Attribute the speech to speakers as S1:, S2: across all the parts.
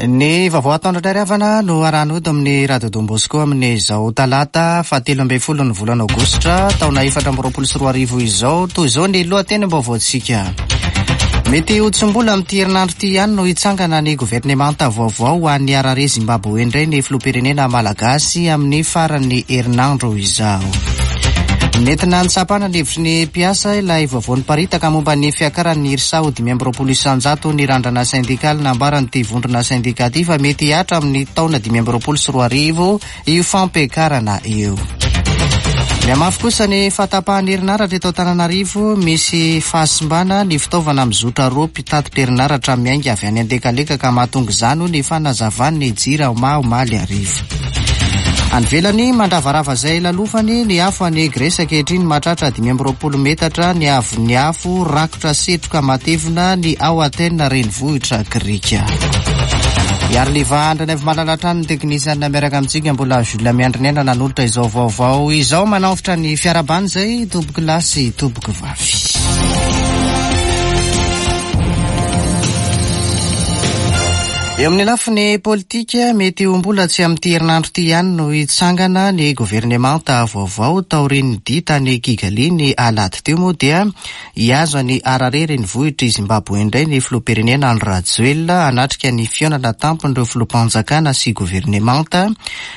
S1: Ny vaovao ataondra indray ry havana no arahana eto amin'ny Radio Don Bosco amin'izao talata fahatelo ambin'ny folo ny volana aogositra taona 2024 izao. Toy izao ny lohatenim-baovaontsika. Mety ho tsy mbola amin'ity herinandro ity ihany no hitsangana ny governemanta vaovao ho an'ny Harare Zimbabwe indray ny filoham-pirenena malagasy amin'ny faran'ny herinandro izao. Nentina nitsapana ny hevitry ny mpiasa ilay vaovao niparitaka momba ny fiakaran'ny IRSA ho 25% ny randrana sendikaly nambaran'ity vondrona sendika ity fa mety hihatra amin'ny taona 2025 io fampiakarana io. Mihamafy kosa ny fahatapahan'ny herinaratra eto Antananarivo, misy fahasimbana ny fitaovana mizotra roa mpitatitra herinaratra miainga avy any Andekaleka ka mahatonga izany hoy ny fanazavan'ny Jirama omaly hariva. Any ivelany, mandravarava izay lalofany ny afo any Grèce ankehitriny, mahatratra 25 metatra ny haavon'ny afo, rakotra setroka matevina ny ao Athènes renivohitra grika. Iariliva Andrianaivomalala hatrany ny teknisianina miaraka amintsika, mbola Jules Miandriniaina nanolotra izao vaovao izao, manaofotra ny fiarahabana izay tompoko lahy sy tompoko vavy. Eo amin'ny lafiny politika, mety ho mbola tsy amin'ity herinandro ity ihany no hitsangana ny governemanta vaovao taorian'ny dia tany Kigali ny alahady teo moa dia hihazo an'i Harare renivohitr'i Zimbabwe indray ny filoham-pirenena Andry Rajoelina hanatrika ny fihaonana tampon'ireo filoham-panjakana sy governemanta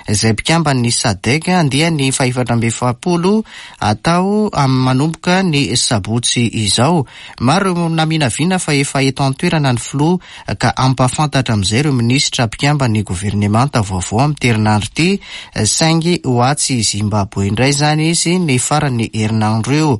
S1: izay mpikamban'ny Sadec andiany fahefatra 44 atao manomboka ny sabotsy izao. Maro ireo naminavina fa efa eto an-toerana ny filoha ka hampahafantatra amin'izay ireo minisitra mpikamban'ny governemanta vaovao amin'ity herinandro ity, saingy ho atsy Zimbabwe indray izany izy ny faran'ny herinandro io.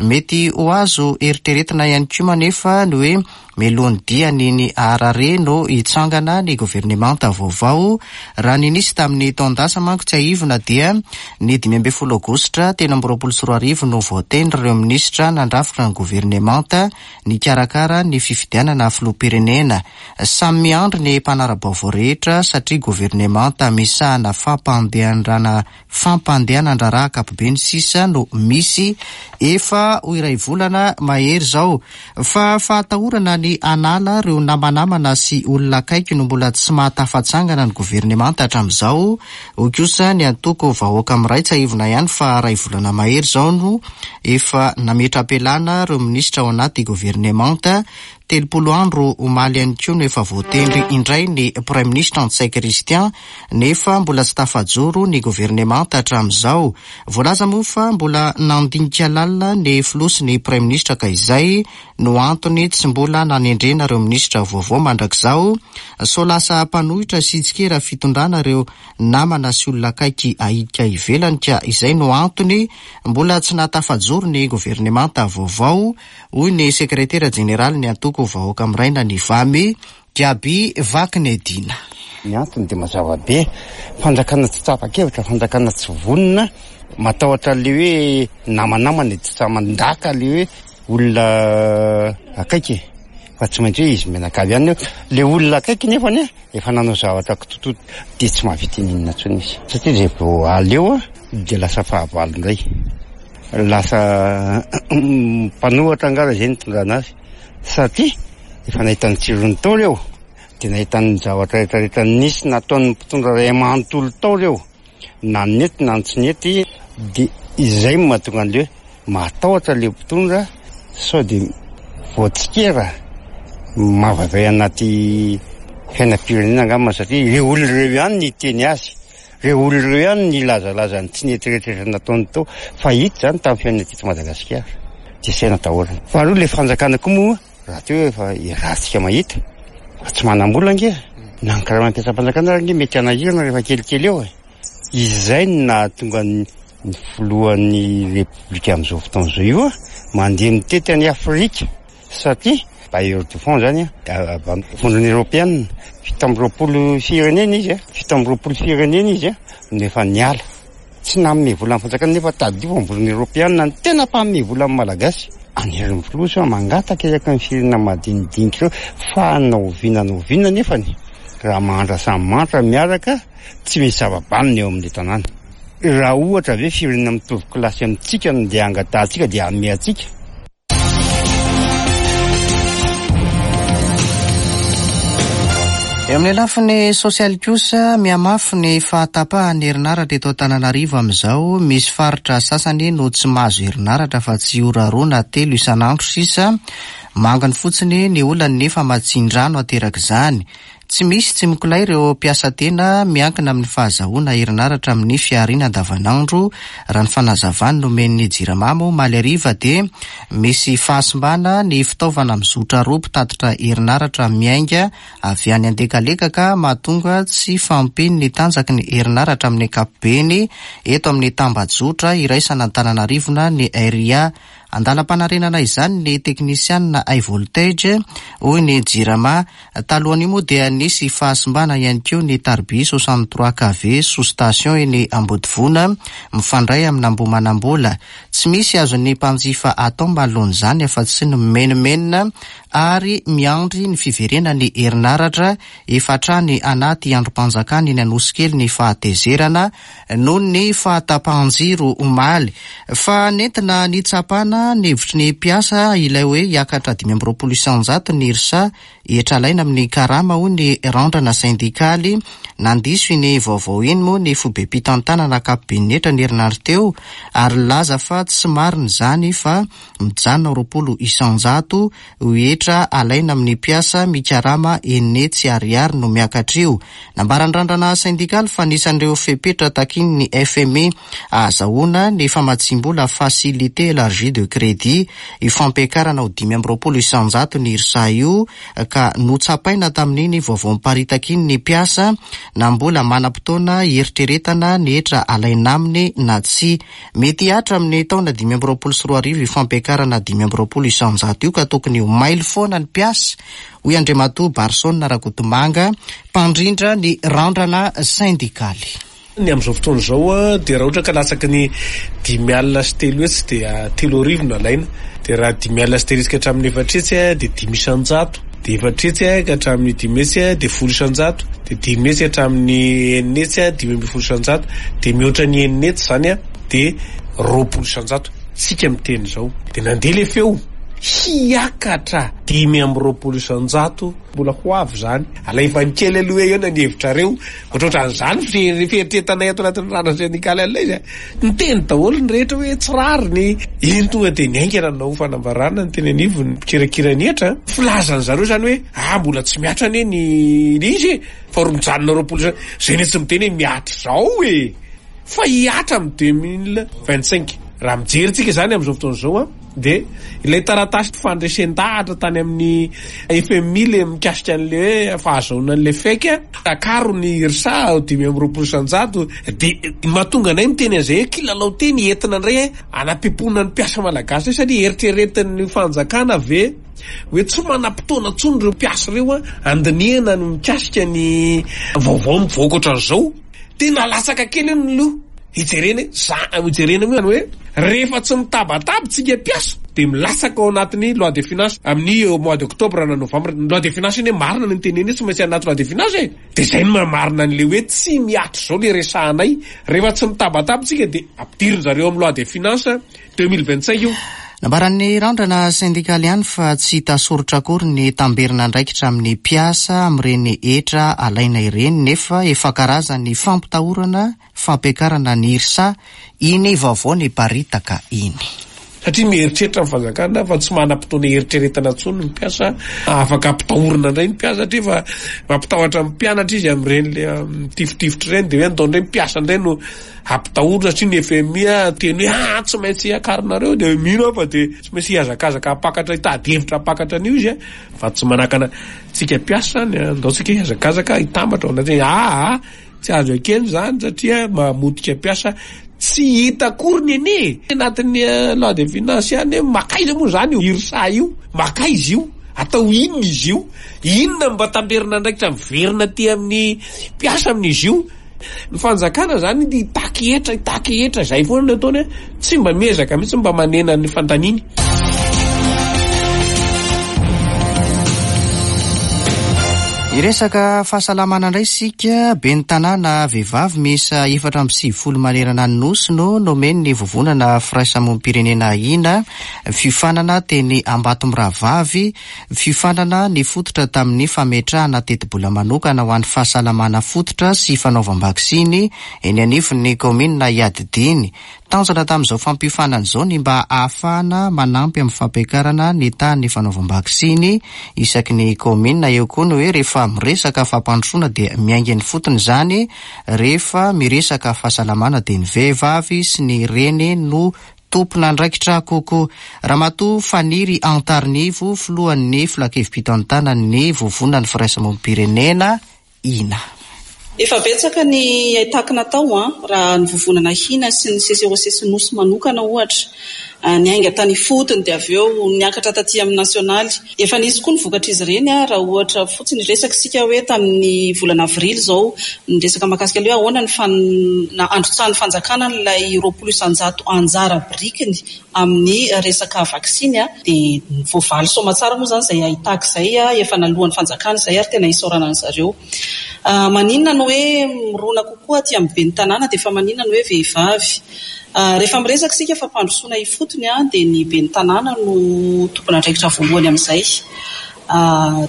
S1: Mety ho azo eritreretina ihany koa anefa ny hoe mialoha ny diany iny Harare no hitsangana ny governemanta vaovao. Raha ny nisy tamin'ny taon-dasa manko tsiahivina dia ny 15 aogositra 2023 no voatendry ireo minisitra nandrafitra ny governemanta nikarakara ny fifidianana filoham-pirenena. Samy miandry ny mpanara-baovao rehetra satria governemanta misahana fampandehandrana fampandehanan-draharaha ankapobeny sisa no misy efa ho iray volana mahery izao. Fa fahatahorana ny hanala ireo namanamana sy olona akaiky no mbola tsy mahatafatsangana ny governemanta hatramin'izao, hoy kosa ny antoko Vahoaka Miray. Tsiahivina ihany fa iray volana mahery izao no efa nametra-pialana ireo minisitra ao anaty governemanta. 30 andro omaly ihany koa no efa voatendry indray ny Praiminisitra Ntsay Christian nefa mbola tsy tafajoro ny governemanta hatramin'izao. Voalaza moa fa mbola nandinika lalina ny filoha sy ny praiminisitra ka izay no antony tsy mbola nanendrena ireo minisitra vaovao mandrak'izao. Sao lasa mpanohitra sy tsikera fitondrana ireo namana sy olona akaiky ahidika ivelany ka izay no antony mbola tsy nahatafajoro ny governemanta vaovao, hoy ny sekretera jeneralin'ny antoko Vahoaka Miraina ny Vami, Gaby Vakinedina.
S2: Ny antony dia mazava be, fanjakana tsy tapa-kevitra, fanjakana tsy vonona, matahotra an'ilay hoe namanamana e, tsy sahy mandaka ilay hoe olona akaiky e, fa tsy maintsy hoe izy mianakavy ihany, ilay olona akaiky nefany an, efa nanao zavatra kitototo dia tsy mahavita n'inona intsony izy, satria izay vao aleo dia lasa fahavalo indray, lasa mpanohatra angaha raha izay no nitondrana azy, satria efa nahita ny tsirony tao ireo, dia nahita ny zavatra rehetra rehetra nisy nataon'ny mpitondra iray manontolo tao ireo, na ny nety na ny tsy nety, dia izay no mahatonga an'ilay hoe matahotra ilay mpitondra sao dia voatsikera mavaivay anaty fiainam-pirenena angamba satria ireo olona ireo ihany no hiteny azy, ireo olona ireo ihany no nilazalaza ny tsy nety rehetra rehetra nataony tao, fa hita izany tamin'ny fiainana teto Madagasikara, dia izay no atahorana. Faharoa ilay fanjakana koa moa rahateo efa iarahantsika mahita fa tsy manam-bola ange, na ny karaman'ny mpiasam-panjakana ary ange mety hanahirana rehefa kelikely eo e. Izay no nahatonga ny filohan'ny Repoblika amin'izao fotoana izao io mandeha mitety an'i Afrika satria bailleur de fonds izany avy amin'ny vondrona eoropeanina, 27 firenena izy, 27 firenena izy no efa niala. Tsy nanome vola ny fanjakana nefa tadidio fa ny vondrona eoropeanina no tena mpanome vola ny Malagasy. Anerin'ny filoha sao mangataka eraky ny firenena madinidinika ireo fa na oviana na oviana nefany raha mahantra samy mahantra miaraka Tsy misy zava-banona eo amin'ilay tanàna. Raha ohatra ve firenena mitovy kilasy amintsika no ndeha hangatahantsika dia hanome antsika?
S1: Eo amin'ny lafiny sosialy kosa, mihamafy ny fahatapahan'ny herinaratra eto Antananarivo amin'izao. Misy faritra sasany no tsy mahazo herinaratra fa tsy ora roa na telo isan'andro sisa. Manginy fotsiny ny olan'ny famatsian-drano aterak'izany. Tsy misy tsy mikolay ireo mpiasa tena miankina amin'ny fahazahoana herinaratra amin'ny fihariana andavanandro. Raha ny fanazavany nomen'ny Jirama moa omaly hariva dia misy fahasimbana ny fitaovana mizotra roa mpitatitra herinaratra miainga avy any Andekaleka ka mahatonga tsy fahampian'ny tanjaky ny herinaratra amin'ny ankapobeny eto amin'ny tambajotra iraisan'Antananarivo na ny RIA. Andalam-panarenana izany ny teknisianina High Voltage, hoy ny Jirama. Talohan'io moa dia nisy fahasimbana ihany koa ny tariby 63 KV sous station eny Ambodivona mifandray amin'Ambohimanambola. Tsy misy azon'ny mpanjifa atao manoloana izany afa-tsy ny mimenomenona ary miandry ny fiverenan'ny herinaratra efa hatrany anaty andrim-panjakana eny Anosikely ny fahatezerana noho ny fahatapahan-jiro omaly. Fa nentina nitsapana ny hevitry ny mpiasa ilay hoe hiakatra 25% ny IRSA hetra alaina amin'ny karama hoy ny randrana sendikaly. Nandiso iny vaovao iny moa ny foibem-pitantanana ankapoben'ny hetra ny herinandro teo ary nilaza fa tsy marina izany fa mijanona ho 20% io hetra alaina amin'ny mpiasa mikarama 600 ariary no miakatra io. Nambaran'ny randrana sendikaly fa anisan'ireo fepetra takian'ny FMI ahazahoana ny famatsiam-bola Facilité Elargie de Crédit io fampiakarana ho 25% ny IRSA io ka notsapaina tamin'iny vaovao miparitaka iny ny mpiasa na mbola manam-potoana hieritreretana ny hetra alaina aminy na tsia. Mety hihatra amin'ny taona 2025 io fampiakarana 25% io ka tokony ho mailo foana ny mpiasa, hoy Andriamatoa Barson Rakotomanga, mpandrindra ny randrana sendikaly.
S3: Ny amin'izao fotoana izao dia raha ohatra ka latsaky ny 305 dia 3000 no alaina, dia raha 350 ka hatramin'ny 400 dia 5%, dia 400 ka hatramin'ny 500 dia 10%, dia 500 hatramin'ny 600 15%, dia mihoatra ny 600 izany dia 20%. Tsika miteny izao dia nandeha ilay feo hiakatra 25%. Mbola ho avy izany. Alaivany kely aloha eo ny hevitrareo. Ohatrohatran'izany ny fieritreretanay ato anatin'ny rano sendikaly an'ilay izy a. Niteny daholo ny rehetra hoe tsy rariny. Iny tonga dia niainga nanao fanambarana ny teny anivon'ny mpikirakira ny hetra. Filazan'ny zareo izany hoe ah mbola tsy mihatra anie ny ilay izy e, fa ro mijanona 20 isa. Zay anie tsy miteny hoe mihatra izao e. Fa hihatra amin'ny 2025. Raha mijery tsika izany amin'izao fotoana izao an. Dia ilay taratasy fandresen-dahatra tany amin'ny FMI ilay mikasika an'ilay hoe fahazahoana an'ilay FEC, akaro ny IRSA ho 25%, dia ny mahatonga anay miteny an'izay hoe kilalao teny entina indray hanapempoana ny mpiasa malagasy hoe satria eritreretin'ny fanjakana ve hoe tsy manam-potoana intsony ireo mpiasa ireo handinihana ny mikasika ny vaovao mivoaka ohatran'izao. Tena latsaka kely eo ny loha hijerena hoe za hijerena moa hoe rehefa tsy mitabataba tsika mpiasa dia milatsaka ao anatin'ny loi de finance amin'ny au mois d'octobre na novembre. Ny loi de finance anie marina ny niteneny hoe tsy maintsy anaty loi de finance e. Dia izay no mahamarina an'ilay hoe tsy mihatra izao ilay resahanay. Rehefa tsy mitabataba tsika dia ampidirin-dry zareo amin'ny loi de finance 2025 io.
S1: Nambaran'ny randrana sendikaly ihany fa tsy hita soritra akory ny tamberin'andraikitra amin'ny mpiasa amin'ireny hetra alaina ireny nefa efa karazan'ny fampitahorana fampiakarana ny IRSA iny vaovao niparitaka iny.
S3: Satria mieritreritra ny fanjakana fa tsy manam-potoana hieritreretana intsony ny mpiasa, afaka ampitahorina indray ny mpiasa satria efa mampitahotra ny mpianatra izy amin'ireny le mitifitifitra ireny dia hoe andao indray ny mpiasa indray no Ampitahorina satria ny FMI teny hoe ah tsy maintsy akarinareo dia mino aho fa dia tsy maintsy hihazakazaka hampakatra hitady hevitra hampakatra an'io izy fa tsy manakana antsika mpiasa izany andao tsika hihazakazaka hitambatra ao anatin'ny ah tsy azo ekena izany satria mamotika mpiasa tsy hita akory ny anie anatin'ny loi de finance ihany hoe makaiza moa izany io IRSA io makaiza io atao inona izy io inona mba tamberin'andraikitra miverina aty amin'ny mpiasa amin'izy io Ny fanjakana zany hitaky hetra, hitaky hetra, izay foana no ataony, tsy mba miezaka mihitsy mba manena ny fandaniany.
S1: Hiresaka fahasalamana indray isika. Ben'ny tanàna vehivavy miisa 94 manerana ny Nosy no nomen'ny Vovonana Firaisamonim-pirenena Hina fiofanana teny Ambatomirahavavy. Fiofanana nifototra tamin'ny fametrahana tetibola manokana ho an'ny fahasalamana fototra sy fanaovam-baksiny eny anivon'ny kaominina iadidiany. Tanjona tamin'izao fampiofanana izao ny mba hahafahana manampy amin'ny fampiakarana ny tahan'ny fanaovam-baksiny isaky ny kaominina. Eo koa ny hoe rehefa miresaka fampandrosoana dia miainga eny ifotony izany, rehefa miresaka fahasalamana dia ny vehivavy sy ny reny no tompon'andraikitra kokoa. Ramatoa Faniry Antarinivo, filohan'ny filankevi-pitantanan'ny Vovonan'ny Firaisamonim-pirenena, Hina.
S4: Efa betsaka ny haitaky natao an, raha ny vovonana Hina sy ny CCOC sy Nosy manokana ohatra. Niainga tany ifotony dia avy eo niakatra taty amin'ny nasionaly. Efa nisy koa ny vokatr'izy ireny an, raha ohatra fotsiny hiresaka isika hoe tamin'ny volana avrily izao niresaka mahakasika ilay hoe ahoana ny androtsahan'ny fanjakana an'ilay 20% anjara birikiny amin'ny resaka vaksiny dia voavaly soamatsara moa izany izay haitaky izay, efa naloan'ny fanjakana izay ary tena isaorana an-dry zareo. Maninona no hoe mirona kokoa aty amin'ny ben'ny tanàna dia efa maninona no hoe vehivavy? Rehefa miresaka isika fampandrosoana ifotony dia ny ben'ny tanàna no tompon'andraikitra voalohany amin'izay.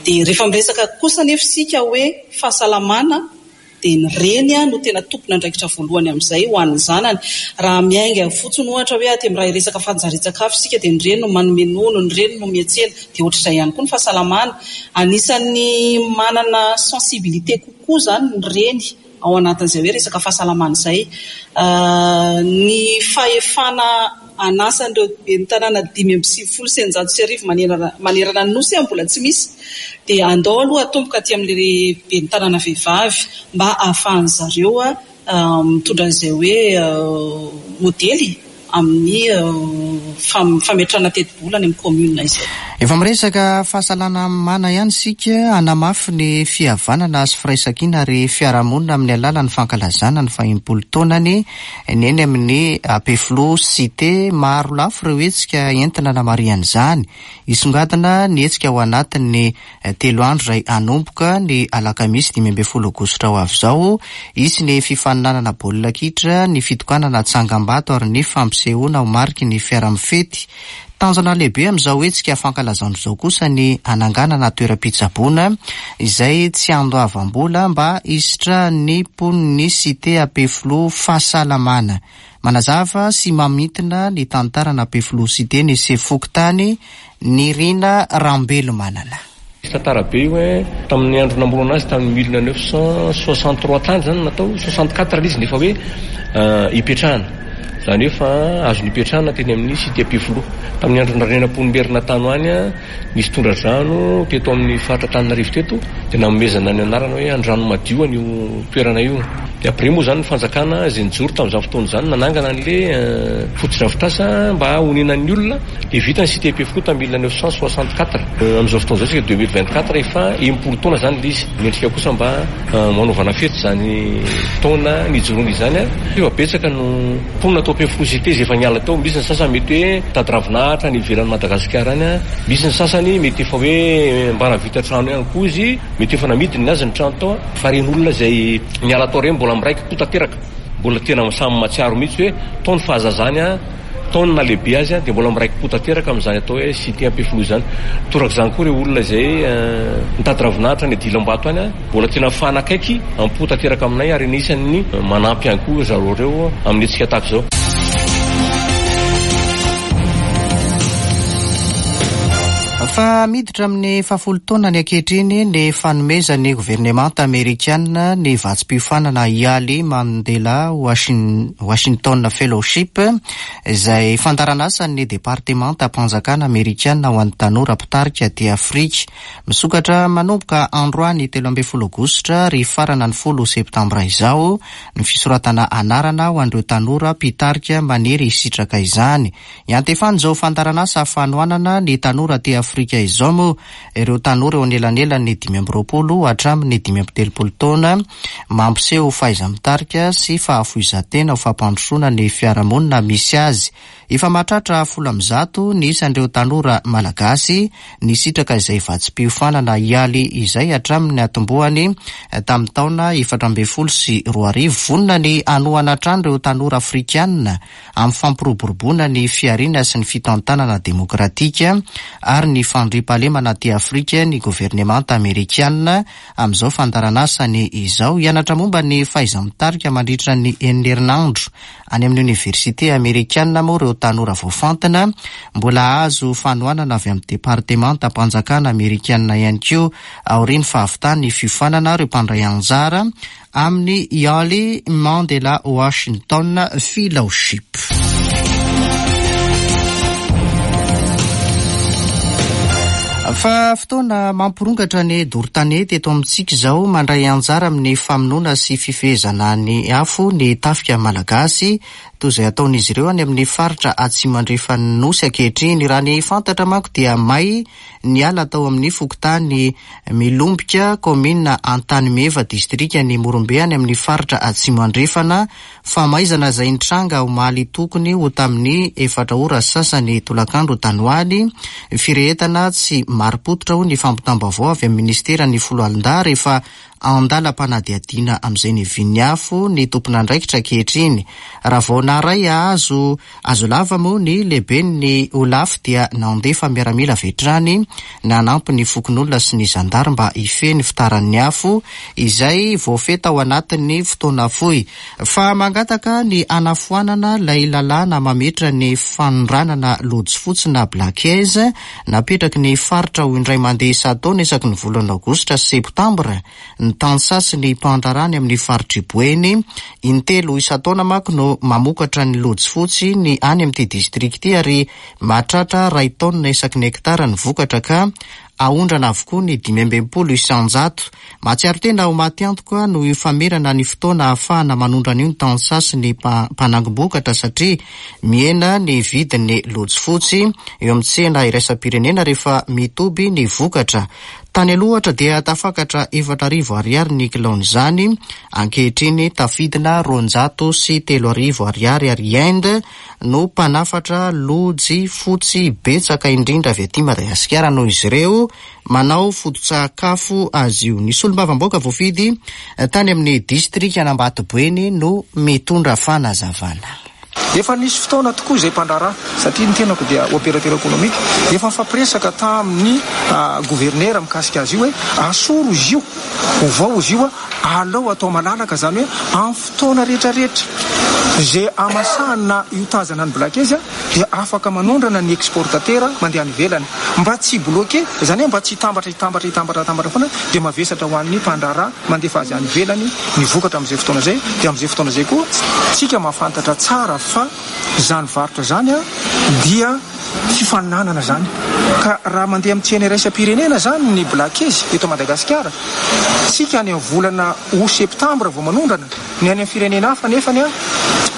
S4: Dia rehefa miresaka kosa anefa isika hoe fahasalamana dia ny reny no tena tompon'andraikitra voalohany amin'izay ho an'ny zanany. Raha miainga fotsiny ohatra hoe aty amin'ny raha hiresaka fanjarian-tsakafo isika dia ny reny no manome nono, ny reny no miantsena. Dia ohatr'izay ihany koa ny fahasalamana. Anisan'ny manana sensibilité kokoa izany ny reny ao anatin'izay hoe resaka fahasalamana izay. Ny fahefana anasan'ireo ben'ny tanàna 1695 manerana ny Nosy mbola tsy misy dia andao aloha atomboka aty amin'ilay ben'ny tanàna vehivavy mba ahafahan'ny zareo mitondra an'izay hoe modely amin'ny fametrahana tetibola any amin'ny commune izay.
S1: Efa miresaka fahasalamana ihany isika, hanamafy ny fihavanana sy firaisankina ary fiarahamonina amin'ny alalan'ny fankalazana ny fahenimpolo taonany ny eny amin'ny Ampefiloha Cité. Maro lafy ireo hetsika entina hanamarihana izany. Hisongadina ny hetsika ao anatin'ny telo andro izay hanomboka ny alakamisy 15 aogositra ho avy izao. Hisy ny fifaninanana baolina kitra, ny fitokanana tsangambato ary ny fampisehoana ho mariky ny fiara-mifety. Tanjona lehibe amin'izao hetsika fankalazana izao kosa ny hananganana toeram-pitsaboana izay tsy andoavam-bola mba hisitrahan'ny mponin'ny Cité Ampefiloha fahasalamana. Manazava sy mamintina ny tantaran'Ampefiloha Cité ny sefo fokontany Nirina Rambelomanana.
S5: Misy tantara be io eh, tamin'ny andro namorona azy tamin'ny 1963 tany zany natao, 64 ilay izy nefa hoe ipetrahana, izany hoe fa azo nipetrahana teny amin'ny cité Ampefiloha. Tamin'ny andron'i Randrianampoinimerina tany ho any nisy tondra-drano teto amin'ny faritra Antananarivo teto dia nanomezana ny anarana hoe Andranomadio an'io toerana io. Dia après moa izany ny fanjakana izay nijoro tamin'izany fotoana izany nanangana an'ilay fotodrafitrasa mba honenan'ny olona. Dia vita ny cité Ampefiloha tamin'ny 1964. Amin'izao fotoana izao isika 2024 efa 60 taona izany ilay izy. Mendrika kosa mba hanaovana fety izany taona nijoroana izany. Efa betsaka no mponina tao Ampefiloha cité izay efa niala tao. Misy ny sasany mety hoe mitady ravinahitra any ivelan'i Madagasikara any. Misy ny sasany mety efa hoe mba nahavita trano ihany koa izy. Mety efa namidiny ny azy ny trano tao. Fa ireny olona izay niala tao ireny mbola miraiki-po tanteraka. Mbola tena samy mahatsiaro mihitsy hoe tao ny fahazazany. Tao ny nahalehibe azy dia mbola miraiki-po tanteraka amin'izany atao hoe cité Ampefiloha izany. Torak'izany koa ireo olona izay nitady ravinahitra any Dilambato any, mbola tena mifanakaiky am-po tanteraka aminay ary anisan'ny manampy ihany koa zareo ireo amin'ny hetsika tahaka izao.
S1: Fa miditra amin'ny fahafolo taonany ankehitriny ny fanomezan'ny governemanta amerikana ny vatsim-piofanana Yali Mandela Washington Fellowship, izay fandaharanasan'ny Departemantam-panjakana amerikana ho an'ny tanora mpitarika aty Afrika. Misokatra manomboka androany 13 aogositra ary hifarana ny folo septambra izao ny fisoratana anarana ho an'ireo tanora mpitarika maniry hisitraka izany. Iantefan'izao fandaharanasa fanohanana ny tanora aty Afrika. Afrika izao moa ireo tanora eo anelanelan'ny 25 hatramin'ny 35 taona mampiseho fahaiza-mitarika sy fahafoizan-tena ho fampandrosoana ny fiarahamonina misy azy. Efa mahatratra 110 ny isan'ireo tanora malagasy nisitraka izay vatsim-piofanana YALI izay hatramin'ny natombohany tamin'ny taona 2014. Vonona ny hanohana hatrany ireo tanora afrikanina amin'ny fampiroboroboana ny fihariana sy ny fitantanana demokratika ary ny fandriampahalemana aty Afrika ny governemanta amerikanina amin'izao fandaharanasany izao. Hianatra momba ny fahaiza-mitarika mandritra ny enina herinandro any amin'ny oniversite amerikanina moa ireo tanora voafantina. Mbola hahazo fanohanana avy amin'ny departemantam-panjakana amerikanina ihany koa aorian'ny fahavitan'ny fiofanana ireo mpandray anjara amin'ny Yale Mandela Washington Fellowship. Fa fotoana mampirongatra ny doro tanety eto amintsika izao. Mandray anjara amin'ny famonoana sy fifehezana ny afo ny tafika malagasy, toy izay ataon'izy ireo any amin'ny faritra atsimo andrefan'ny Nosy ankehitriny. Raha ny fantatra manko dia may ny ala tao amin'ny fokontany Milombika, kaominina Antanimeva, distrikan'i Morombe any amin'ny faritra Atsimo Andrefana. Famaizana izay nitranga omaly tokony ho tamin'ny efatra ora sy sasany tolakandro tany ho any. Firehetana tsy marim-pototra hoy ny fampitam-baovao avy amin'ny minisiteran'ny Foloalindahy rehefa an-dalam-panadihadiana amin'izay nivian'ny afo ny tompon'andraikitra ankehitriny. Raha vao naharay azo azo lava moa ny lehiben'ny Olaf dia nandefa miaramila avy hatrany nanampy ny fokonolona sy ny zandary mba hifehy ny fitaran'ny afo izay voafehy tao anatin'ny fotoana fohy. Fa mangataka ny hanafoanana ilay lalàna mametra ny fanondranana lojy fotsy na blackhaze Napetraky ny faritra ho indray mandeha isan-taona isaky ny volana aogositra sy septambra ny tantsaha sy ny mpandraharaha any amin'ny faritr'i Boeny. Intelo isan-taona manko no mamokatra ny lojy fotsy ny any amin'ity distrika ity ary mahatratra iray taonina isaky ny hektara ny vokatra ka aondrana avokoa ny 65%. Mahatsiaro tena ho maty antoka noho io famerana ny fotoana ahafahana manondrana io ny tantsaha sy ny mpanangom-bokatra satria mihena ny vidin'ny lojy fotsy eo amin'ny tsena iraisam-pirenena rehefa mitoby ny vokatra. Tany aloha ohatra dia tafakatra 4000 ariary ny kilaon'izany, ankehitriny tafidina 3200 ariary ary Inde no mpanafatra lojy fotsy betsaka indrindra avy aty Madagasikara noho izy ireo manao foto-tsakafo azy io. Ny solombavambahoaka voafidy tany amin'ny distrikan'Ambatoboeny no mitondra fanazavana.
S6: Efa nisy fotoana tokoa izay mpandraharaha, satria ny tenako dia opérateur économique, efa nifampiresaka tamin'ny governera mikasika azy io hoe asoro izy io, ovao izy io, alao atao malalaka izany hoe amin'ny fotoana rehetrarehetra izay amasahana io tazana ny blakez dia afaka manondrana ny exportateur mandeha any ivelany mba tsy hi-bloquer, izany hoe mba tsy hitambatra hitambatra hitambatra hitambatra foana dia mavesatra ho an'ny mpandraharaha mandefa azy any ivelany ny vokatra amin'izay fotoana izay, dia amin'izay fotoana izay koa tsika mahafantatra tsara fa izany varotra izany dia fifaninanana izany ka raha mandeha amin'ny tsena iraisam-pirenena izany ny blakezy eto Madagasikara tsika any amin'ny volana août septambra vao manondrana. Ny any amin'ny firenena hafa anefany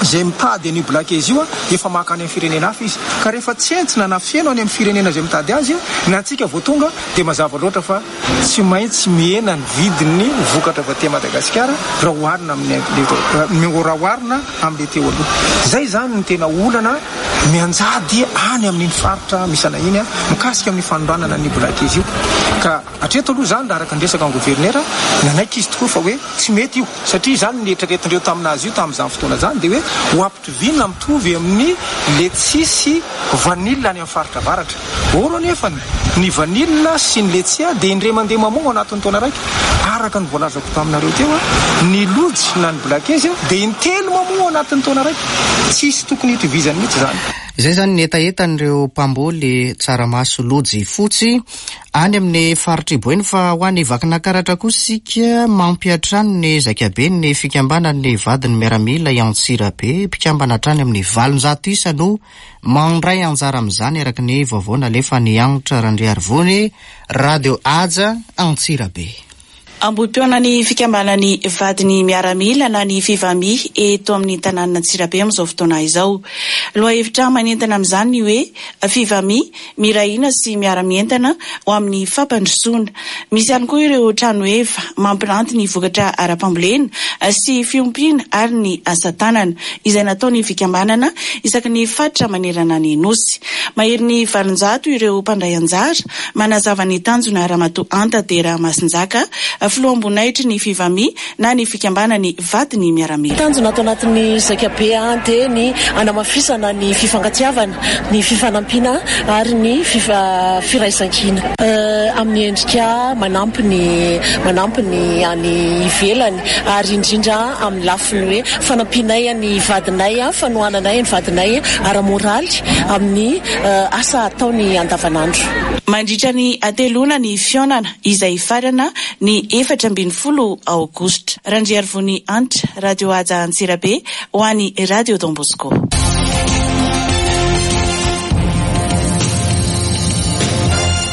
S6: izay mitady an'io blackhaze io efa maka any amin'ny firenena hafa izy. Ka rehefa tsentsina na feno any amin'ny firenena izay mitady azy ny antsika vao tonga dia mazava loatra fa tsy maintsy mihena ny vidin'ny vokatra avy aty Madagasikara raha oharina amin'ny raha oharina amin'ilay teo aloha. Izay izany no tena olana mianjady any amin'iny faritra misy anay iny mikasika amin'ny fanondranana an'io blackhaze io. Ka hatreto aloha izany raha araka ny resaka ny governera, nanaiky izy tokoa fa hoe tsy mety io. Satria izany ny eritreretindreo tamin'azy io tamin'izany fotoana izany dia hoe ho ampitoviana mitovy amin'ny letchis sy vanille any amin'ny faritra avaratra. Or anefa ny vanille sy ny letchis dia indray mandeha mamoa ao anatin'ny taona raika. Araka ny voalazako taminareo teo, ny lojy na ny blakezy dia intelo mamoa ao anatin'ny taona raika. Tsisy tokony hitovizany mihitsy izany.
S1: Izay izany ny hetahetan'ireo mpamboly tsaramaso lojy fotsy. Any amin'ny faritr'i Boeny fa ho any Vakinakaratra kosa isika mampiantrano ny zaikaben'ny fikambanan'ny vadin'ny miaramila i Antsirabe. Mpikambana hatrany amin'ny 800 isa no mandray anjara amin'izany araka ny vaovao nalefan'i Hanitra Randriarivony, Radio Haja, Antsirabe.
S4: Ambohipihaonan'ny fikambanan'ny vadin'ny miaramila na ny Fivami eto amin'ny tanànan'Antsirabe amin'izao fotoana izao. Lohahevitra manentana amin'izany ny hoe Fivami, miray hina sy miara-mientana ho amin'ny fampandrosoana. Misy ihany koa ireo trano heva mampiranty ny vokatra ara-pambolena sy fiompiana ary ny asa tanana izay nataon'ny fikambanana isaky ny faritra manerana ny Nosy. Maherin'ny 800 ireo mpandray anjara Manazava ny tanjona Ramatoa Anta Dera Masinjaka, filoham-boninahitry ny Fivami na ny fikambanan'ny vadin'ny miaramila.
S7: Tanjona ato anatin'ny zaikabe dia ny hanamafisana ny fifankatiavana, ny fifanampiana ary ny firaisankina. Amin'ny endrika manampy ny manampy ny any ivelany ary indrindra amin'ny lafiny hoe fanampianay ny vadinay, fanohananay ny vadinay ara-moraly amin'ny asa ataony andavanandro.
S4: Mandritra ny hateloana ny fihaonana izay hifarana ny 14 aogositra. Randriarivony Hanitra, Radio Haja Antsirabe ho an'ny Radio Don Bosco.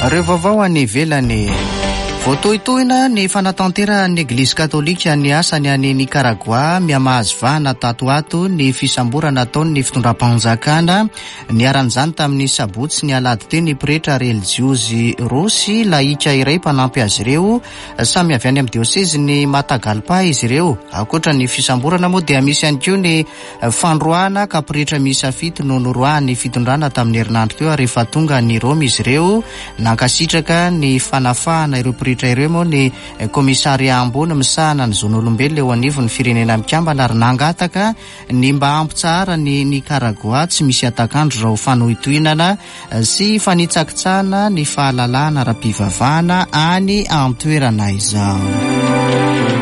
S1: Ireo vaovao any ivelany. Voatohitohina ny fanatanterahan'ny Eglizy Katolika ny asany any Nikaragoà. Mihamahazo vahana tato ho ato ny fisamborana ataon'ny fitondram-panjakana. Niharan'izany tamin'ny sabotsy ny alahady teo ny pretra relijiozy roa sy lahika iray mpanampy azy ireo. Samy avy any amin'ny diosezin'i Matagalpa izy ireo. Ankoatra ny fisamborana moa dia misy ihany koa ny fandroahana ka pretra miisa fito no noroahan'ny fitondrana tamin'ny herinandro teo ary efa tonga any Roma izy ireo. Nankasitraka ny fanafahana ireo pretra ireo moa ny komisaria ambony misahana ny zon'olombelona eo anivon'ny Firenena Mikambana ary nangataka Ny mba hampitsahara ny Nikaragoà tsy misy hatak'andro izao fanohitohinana sy fanitsakitsahana ny fahalalahana ara-pivavahana any an-toerana izao.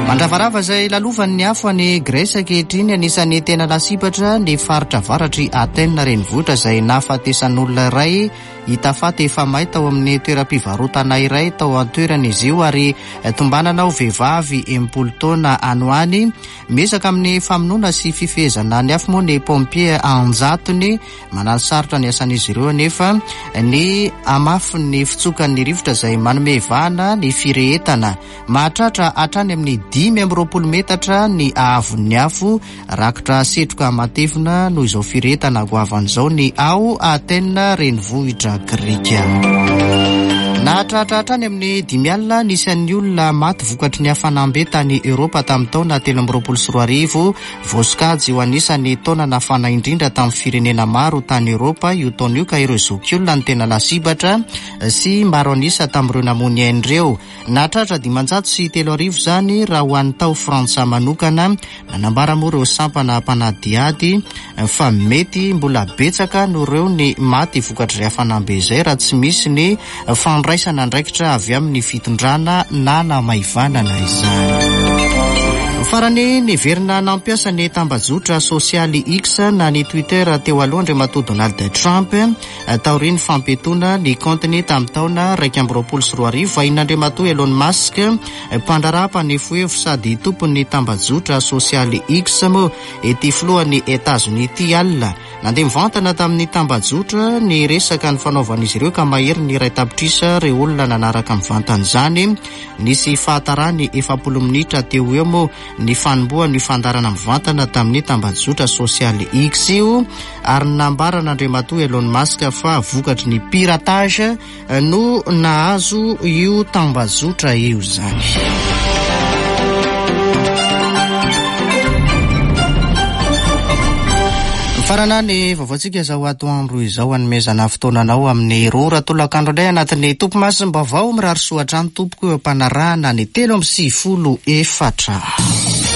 S1: Mandravarava izay lalovan'ny afo any Grèce ankehitriny, anisan'ny tena lasibatra ny faritra avaratr'i Athènes renivohitra izay nahafatesan'olona iray hita faty efa may tao amin'ny toeram-pivarotana iray tao an-toerana izy io ary tombanana ho vehivavy 60 taona any ho any. Miezaka amin'ny famonoana sy fifehezana ny afo moa ny pompier an-jatony. Mananosarotra ny asan'izy ireo anefa ny hamafin'ny fitsokan'ny rivotra izay manome vahana ny firehetana. Mahatratra hatrany amin'ny 25 metatra ny haavon'ny afo. Rakotra setroka matevina noho izao firehetana goavana izao ny ao Athènes renivohitra grika. Nahatratra hatrany amin'ny 50 ny isan'ny olona maty vokatry ny hafanam-be tany Eoropa tamin'ny taona 2023. Voasokajy ho anisan'ny taona nafana indrindra tamin'ny firenena maro tany Eoropa io taona io ka ireo zokiolona no tena lasibatra sy maro an'isa tamin'ireo namoy ny ainy ireo. Nahatratra 3500 izany raha ho an'ny tao Frantsa manokana. Nanambara moa ireo sampana mpanadihady fa mety mbola betsaka noho ireo ny maty vokatr'izay hafanam-be izay raha tsy misy ny fandraisana andraikitra avy amin'ny fitondrana nanamaivanana izany. Farany, niverina nampiasa ny tambajotra sosialy X na ny Twitter teo aloha Andriamatoa Donald Trump taorian'ny fampiatoana ny kaontiny tamin'ny taona 2021. Vahin'Andriamatoa Elon Musk Mpandraharaha mpanefoefo sady tompon'ny tambajotra sosialy X moa ity filohan'i Etazonia ity alina. Nandeha mivantana tamin'ny tambajotra ny resaka nifanaovan'izy ireo ka maherin'ny iray tapitrisa ireo olona nanaraka mivantana izany. Nisy fahatarany 40 minitra teo ho eo moa ny fanombohan'io fandaharana mivantana tamin'ny tambajotra sosialy X io ary nambaran'Andriamatoa Elon Musk fa vokatry ny piratage no nahazo io tambazotra io izany. Mifarana ny vaovaontsika izao atoandro izao hanomezana fotoana anao amin'ny roa ora tolakandro indray anatin'ny topimasom-baovao. Mirary soa hatrany tompoko eo am-panarahana ny 93 4.